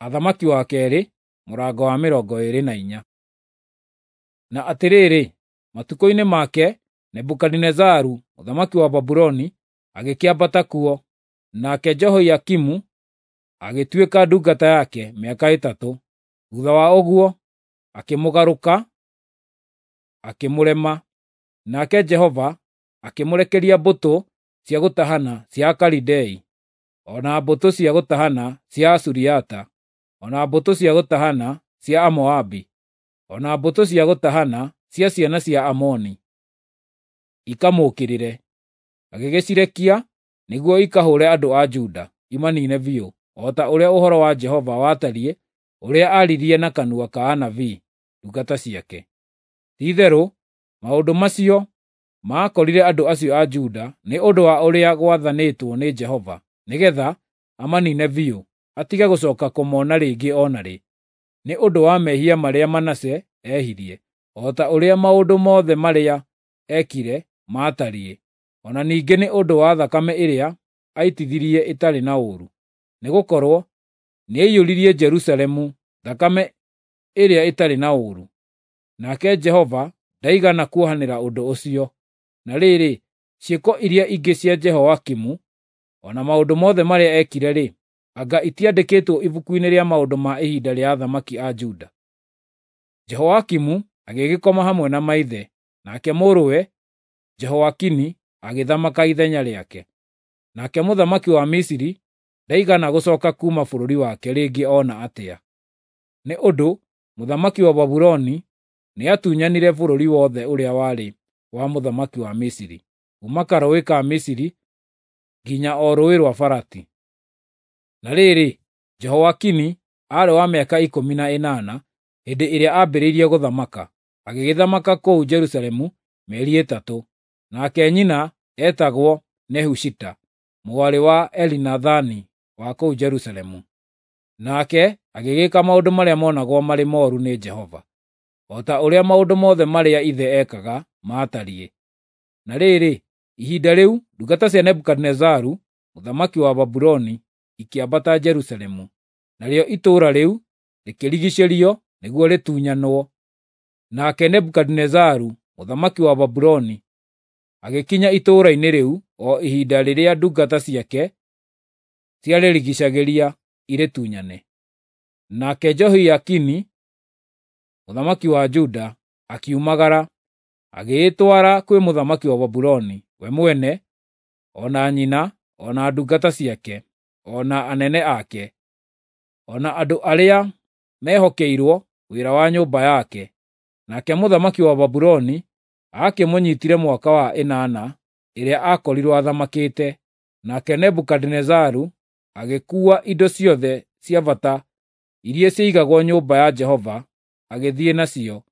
Athamaki wa Keerĩ mũrango wa 24. Na atĩrĩrĩ, matukũ-inĩ make Nebukadinezaru mũthamaki wa Babuloni agĩkĩambata kuo, nake Jehoiakimu agĩtuĩka ndungata yake mĩaka 3. Thuutha wa ũguo akĩmũgarũka, akĩmũrema. Nake Jehova akĩmũrekeria mbũtũ cia gũtahana cia Akalidei, o na mbũtũ cia gũtahana cia Asuriata, o na mbũtũ cia gũtahana cia Amoabi, o na mbũtũ cia gũtahana cia ciana cia Amoni, ikamũũkĩrĩre. Agĩgĩcirekia nĩguo ikahũũre andũ a Juda, imaniine biũ, o ta ũrĩa ũhoro wa Jehova watariĩ ũrĩa aaririe na kanua ka anabii, ndungata ciake. Ti-itherũ maũndũ macio maakorire andũ acio a Juda nĩ ũndũ wa ũrĩa gwathanĩtwo nĩ Jehova, nĩgeetha amaniine biũ, atige gũcooka kũmona rĩngĩ o na rĩ, nĩ ũndũ wa mehia marĩa Manase ehirie, o ta ũrĩa maũndũ mothe marĩa eekire maatariĩ, o na ningĩ nĩ ũndũ wa thakame ĩrĩa aitithirie ĩtarĩ na ũũru, nĩgũkorwo nĩaiyũririe Jerusalemu thakame ĩrĩa ĩtarĩ na ũũru. Nake Jehova ndaigana kuohanĩra ũndũ ũcio. Na rĩrĩ, ciĩko iria ingĩ cia Jehoiakimu, o na maũndũ mothe marĩa eekire-rĩ, anga itiandĩkĩtwo ibuku-inĩ rĩa maũndũ ma ihinda rĩa athamaki a Juda? Jehoiakimu agĩgĩkoma hamwe na maithe, nake mũrũwe Jehoiakini agĩthamaka ithenya rĩake. Nake mũthamaki wa Misiri ndaigana gũcooka kuuma bũrũri wake rĩngĩ o na atĩa, nĩ ũndũ mũthamaki wa Babuloni nĩatunyanire bũrũri wothe ũrĩa warĩ wa mũthamaki wa Misiri, kuuma Karũũĩ ka Misiri nginya o Rũũĩ rwa Farati. Na rĩrĩ, Jehoiakini aarĩ wa mĩaka 18 hĩndĩ ĩrĩa aambĩrĩirie gũthamaka, agĩgĩthamaka kũu Jerusalemu mĩeri 3. Nake nyina eetagwo Nehushita mwarĩ wa Elinathani wa kũu Jerusalemu. Nake agĩgĩĩka maũndũ marĩa monagwo marĩ mooru nĩ Jehova, o ta ũrĩa maũndũ mothe marĩa ithe ekaga maatariĩ. Na rĩrĩ, ihinda rĩu ndungata cia Nebukadinezaru mũthamaki wa Babuloni ikĩambata Jerusalemu, narĩo itũũra rĩu rĩkĩrigiicĩrio nĩguo rĩtunyanwo. Nake Nebukadinezaru mũthamaki wa Babuloni agĩkinya itũũra-inĩ rĩu o ihinda rĩrĩa ndungata ciake ciarĩrigiicagĩria irĩtunyane. Nake Jehoiakini mũthamaki wa Juda akiumagara, agĩĩtwara kwĩ mũthamaki wa Babuloni, we mwene, o na nyina, o na ndungata ciake, o na anene ake, o na andũ arĩa mehokeirwo wĩra wa nyũmba yake. Nake mũthamaki wa Babuloni aakĩmũnyiitire mwaka wa 8 ĩrĩa aakorirwo athamakĩte. Nake Nebukadinezaru agĩkuua indo ciothe cia bata iria ciaigagwo nyũmba ya Jehova agĩthiĩ nacio,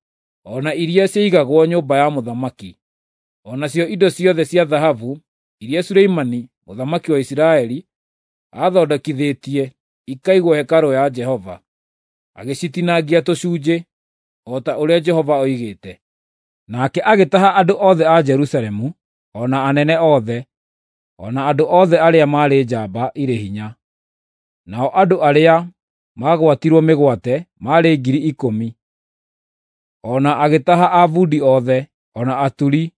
o na iria ciaigagwo nyũmba ya mũthamaki, o nacio indo ciothe cia thahabu iria Suleimani mũthamaki wa Isiraeli aathondekithĩtie ikaigwo hekarũ ya Jehova, agĩcitinangia tũcunjĩ, o ta ũrĩa Jehova oigĩte. Nake agĩtaha andũ othe a Jerusalemu, o na anene othe, o na andũ othe arĩa maarĩ njamba irĩ hinya. Nao andũ arĩa maagwatirwo mĩgwate maarĩ 10,000. O na agĩtaha abundi othe, o na aturi.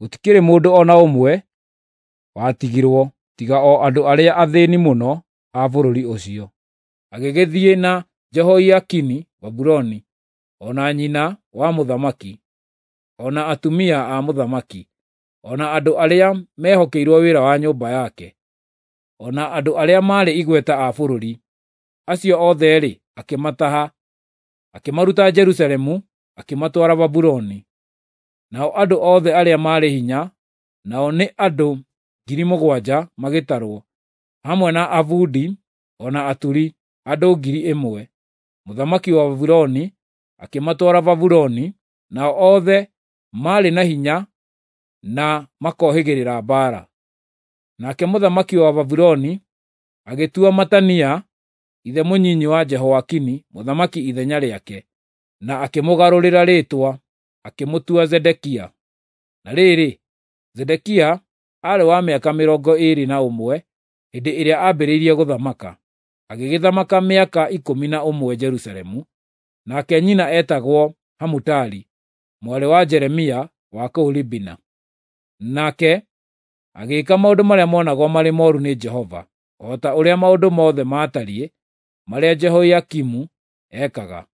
Gũtikĩrĩ mũndũ o na ũmwe watigirwo, tiga o andũ arĩa athĩĩni mũno a bũrũri ũcio. Agĩgĩthiĩ na Jehoiakini Babuloni, o na nyina wa mũthamaki, o na atumia a mũthamaki, o na andũ arĩa mehokeirwo wĩra wa nyũmba yake, o na andũ arĩa maarĩ igweta a bũrũri. Acio othe-rĩ, akĩmataha, akĩmaruta Jerusalemu, akĩmatwara Babuloni. Nao andũ othe arĩa maarĩ hinya, nao nĩ andũ 7,000 magĩtarwo, hamwe na abundi o na aturi, andũ 1,000. Mũthamaki wa Babuloni akĩmatwara Babuloni, nao othe maarĩ na hinya na makohĩgĩrĩra mbaara. Nake mũthamaki wa Babuloni agĩtua Matania, ithe mũnyinyi wa Jehoiakini, mũthamaki ithenya rĩake, na akĩmũgarũrĩra rĩĩtwa, akĩmũtua Zedekia. Na rĩrĩ, Zedekia aarĩ wa mĩaka 21 hĩndĩ ĩrĩa aambĩrĩirie gũthamaka. Agĩgĩthamaka mĩaka 11 Jerusalemu, nake nyina eetagwo Hamutali, mwarĩ wa Jeremia wa kũu Libina. Nake agĩĩka maũndũ marĩa monagwo marĩ mooru nĩ Jehova, o ta ũrĩa maũndũ mothe maatariĩ marĩa Jehoiakimu ekaga.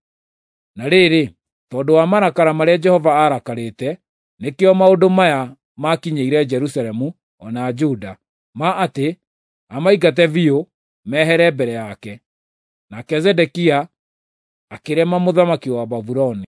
Na rĩrĩ, tondũ wa marakara marĩa Jehova aarakarĩte, nĩkĩo maũndũ maya maakinyĩire Jerusalemu o na Juda, ma atĩ amaingate biũ mehere mbere yake. Nake Zedekia akĩrema mũthamaki wa Babuloni.